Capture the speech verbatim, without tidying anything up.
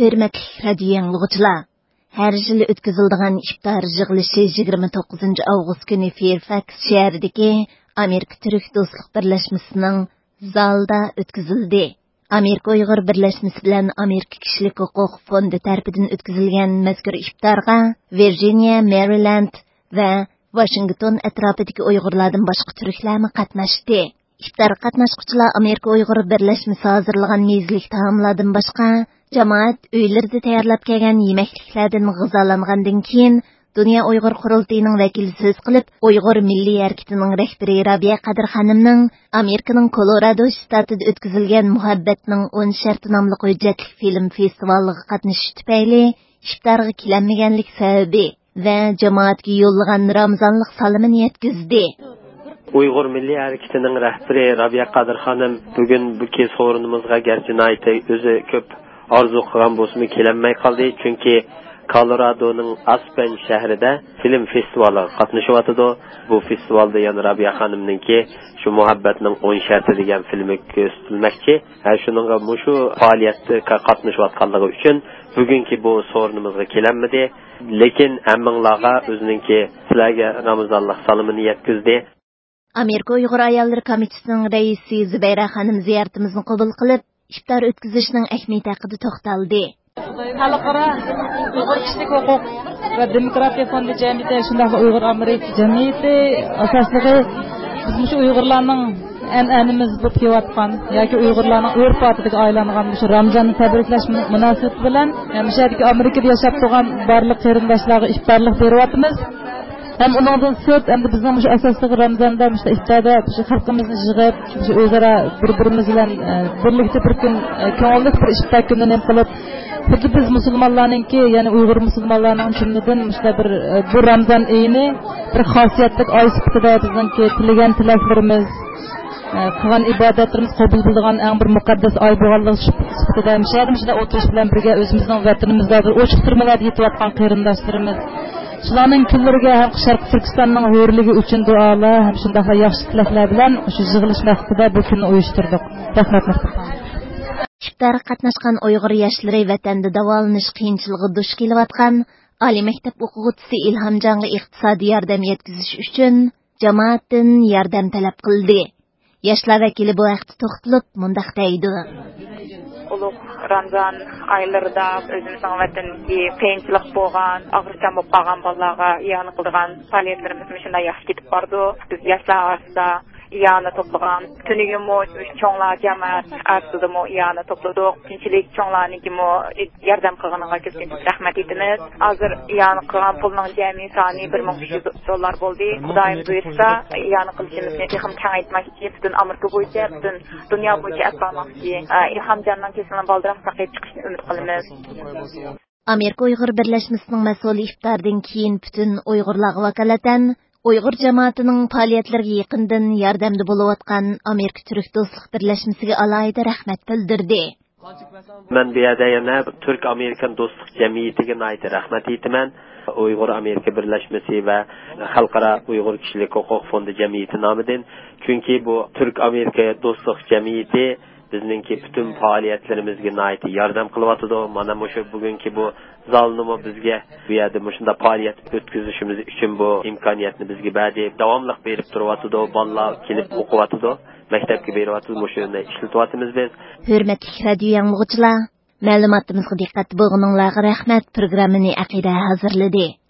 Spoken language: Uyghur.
ھۆرمەتلىك رادىيو ئاڭلىغۇچىلار، ھەر يىلى ئۆتكۈزۈلىدىغان ئىپتار يىغىلىشى يىگىرمە توققۇزىنچى ئاۋغۇست كۈنى فېيرفاكس شەھىرىدىكى ئامېرىكا تۈرك دوستلۇق بىرلەشمىسىنىڭ زالىدا ئۆتكۈزۈلدى. ئامېرىكا ئۇيغۇر بىرلەشمىسى بىلەن ئامېرىكا كىشىلىك ھوقۇق فوندى تەرىپىدىن ئۆتكۈزۈلگەن مەزكۇر ئىپتارغا ۋىرجىنىيە، مېرىلەند ۋە ۋاشىنگتون ئەتراپىدىكى ئۇيغۇرلاردىن باشقا تۈركلەرمۇ قاتناشتى. ئىپتارغا قاتناشقۇچىلار ئامېرىكا ئۇيغۇر بىرلەشمىسى ھازىرلىغان مېزىلىك تائاملاردىن باشقا، جامائەت ئۆيلىرىدە تەييارلاپ كەلگەن يېمەكلىكلەردىن غىزالانغاندىن كېيىن، دۇنيا ئۇيغۇر قۇرۇلتىيىنىڭ ۋەكىلى سۆز قىلىپ، ئۇيغۇر مىللىي ھەرىكىتىنىڭ رەھبىرى رابىيە قادىر خانىمنىڭ ئامېرىكىنىڭ كولورادو شتاتىدا ئۆتكۈزۈلگەن مۇھەببەتنىڭ ئون شەرتى ناملىق ھۆججەتلىك فىلىم فېستىۋالىغا قاتنىشىش تۈپەيلى ئىپتارغا كېلەلمىگەنلىك سەۋەبى ۋە جامائەتكە يوللىغان رامىزانلىق سالىمىنى يەتكۈزدى. ئۇيغۇر مىللىي ھەرىكىتىنىڭ رەھبىرى رابىيە قادىر خانىم بۈگۈنكى سورۇنىمىزغا گەرچە ناھايىتى ئۆزى كۆپ ئارزۇ قىلغان بولسىمۇ، كېلەلمەي قالدى. چۈنكى كولورادونىڭ ئاسپەن شەھىرىدە فىلىم فېستىۋالىغا قاتنىشىۋاتىدۇ. بۇ فېستىۋالدا يەنە رابىيە خانىمنىڭكى شۇ مۇھەببەتنىڭ ئون شەرتى دېگەن فىلىمى كۆرسىتىلمەكچى. ھە، شۇنىڭغا مۇشۇ پائالىيەتكە قاتنىشىۋاتقانلىقى ئۈچۈن بۈگۈنكى بۇ سورۇنىمىزغا كېلەلمىدى. لېكىن ھەممىڭلارغا ئۆزىنىڭكى سىلەرگە رامىزانلىق سالىمىنى يەتكۈزدى. ئامېرىكا ئۇيغۇر ئاياللىرى كومىتېتىنىڭ رەئىسى زۇبەيرە خانىم زىيارىتىمىزنى قوبۇل قىلىپ، ئىپتار ئۆتكۈزۈشنىڭ ئەھمىيىتى ھەققىدە توختالدى. خەلقئارا ئۇيغۇر كىشىلىك ھوقۇق ۋە دېموكراتىيە فوندى جەمئىيىتى، شۇنداقلا ئۇيغۇر ئامېرىكا جەمئىيىتى ئاساسلىقى، بىز مۇشۇ ئۇيغۇرلارنىڭ ئەنئەنىمىز بولۇپ كېلىۋاتقان ياكى ئۇيغۇرلارنىڭ ئۆرپ-ئادىتىگە ئايلانغان مۇشۇ رامزاننى تەبرىكلەش مۇناسىۋىتى بىلەن، مۇشۇ يەردىكى ئامېرىكىدا ياشاپ تۇرغان بارلىق قېرىنداشلارغا ئىپتارلىق بېرىۋاتىمىز. ھەم ئۇنىڭدىن سىرت، ئەمدى بىزنىڭ مۇشۇ ئاساسلىق رامزاندا، مۇشۇ ئىپتاردا مۇشۇ خەلقىمىزنى يىغىپ، مۇشۇ ئۆزئارا بىر-بىرىمىز بىلەن، ئە، بىرلىكتە بىر كۈن، ئە، كۆڭۈللۈك بىر ئىپتار كۈنىنى نېمە قىلىپ، خۇددى بىز مۇسۇلمانلارنىڭكى، يەنى ئۇيغۇر مۇسۇلمانلارنىڭ جۈملىدىن مۇشۇنداق بىر، ئە، بۇ رامزان ئېيىنى بىر خاسىيەتلىك ئاي سۈپىتىدە بىزنىڭكى تىلىگەن تىلەكلىرىمىز، ئە، قىلغان ئىبادەتلىرىمىز قوبۇل بولىدىغان ئەڭ بىر مۇقەددەس ئاي بولغانلىقى سۈپىتىدە، مۇشۇ يەردە مۇشۇنداق ئولتۇرۇش بىلەن بىرگە ئۆزىمىزنىڭ ۋەتىنىمىزدە بىر ئوچۇق تۈرمىلەردە يېتىۋاتقان قېرىنداشلىرىمىز، شۇلارنىڭ كۈنلىرىگە ھەم شەرقىي تۈركىستاننىڭ ھۆرلۈكى ئۈچۈن دۇئالار ھەم شۇنداقلا ياخشى تىلەكلەر بىلەن شۇ يىغىلىش مەقسىتىدە بۇ كۈننى ئۇيۇشتۇردۇق. رەھمەت، مۇختەر خان. ئىپتارغا قاتناشقان ئۇيغۇر ياشلىرى ۋەتەندە داۋالىنىش قىيىنچىلىقىغا دۇچ كېلىۋاتقان ئالىي مەكتەپ ئوقۇغۇچىسى ئىلھامجانغا ئىقتىسادىي ياردەم يەتكۈزۈش ئۈچۈن جامائەتتىن ياردەم تەلەپ قىلدى. ياشلار ۋەكىلى بۇ ھەقتە توختىلىپ مۇنداق دەيدۇ. ئۇلۇغ رامزان ئايلىرىدا ئۆزىمىزنىڭ ۋەتىنىدىكى قىيىنچىلىق بولغان، ئاغرىقچان بولۇپ قالغان بالىلارغا ئىئانە قىلىدىغان پائالىيەتلىرىمىز مۇشۇنداق ياخشى كېتىپ بارىدۇ. بىز ياشلار ئارىسىدا ئىئانە توپلىغان، تۈنۈگۈنمۇ چوڭلار جامائەت ئارىسىدىمۇ ئىئانە توپلىدۇق. كۆپچىلىك چوڭلارنىڭكىمۇ ياردەم قىلغىنىغا كۆپتىن كۆپ رەھمەت ئېيتىمىز. ھازىر ئىئانە قىلغان پۇلنىڭ جەمئىي سانى بىر مىڭ ئۈچ يۈز دوللار بولدى. خۇدايىم بۇيرۇسا، ئىئانە قىلىشىمىزنى تېخىمۇ كېڭەيتمەكچى. پۈتۈن ئامېرىكا بويىچە، پۈتۈن دۇنيا بويىچە ئەپ بارماقچى. ئىلھامجاننىڭ كېسىلىنى بالدۇرراق ساقىيىپ چىقىشىنى ئۈمىد قىلىمىز. ئامېرىكا ئۇيغۇر بىرلەشمىسىنىڭ مەسئۇلى ئىپتاردىن كېيىن پۈتۈن ئۇيغۇرلارغا ۋاكالىتەن ئۇيغۇر جامائىتىنىڭ پائالىيەتلىرىگە يېقىندىن ياردەمدە بولۇۋاتقان ئامېرىكا تۈرك دوستلۇق بىرلەشمىسىگە ئالاھىدە رەھمەت بىلدۈردى. مەن بۇ يەردە يەنە تۈرك ئامېرىكان دوستلۇق جەمئىيىتىگە ناھايىتى رەھمەت ئېيتىمەن. ئۇيغۇر ئامېرىكا بىرلەشمىسى ۋە خەلقئارا ئۇيغۇر كىشىلىك ھوقۇق فوندى جەمئىيىتى نامىدىن. چۈنكى بۇ تۈرك ئامېرىكا دوستلۇق جەمئىيىتى بىزنىڭكى پۈتۈن پائالىيەتلىرىمىزگە ناھايىتى ياردەم قىلىۋاتىدۇ. مانا مۇشۇ بۈگۈنكى بۇ زالنىمۇ بىزگە بۇ يەردە مۇشۇنداق پائالىيەت ئۆتكۈزۈشىمىز ئۈچۈن بۇ ئىمكانىيەتنى بىزگە بەردى. داۋاملىق بېرىپ تۇرۇۋاتىدۇ. بالىلار كېلىپ ئوقۇۋاتىدۇ. مەكتەپكە بېرىۋاتىدۇ. مۇشۇنى ئىشلىتىۋاتىمىز بىز. ھۆرمەتلىك رادىيو ئاڭلىغۇچىلار، مەلۇماتىمىزغا دىققەتتە بولغىنىڭلارغا رەھمەت. پروگراممىنى ئەقىدە ھازىرلىدى.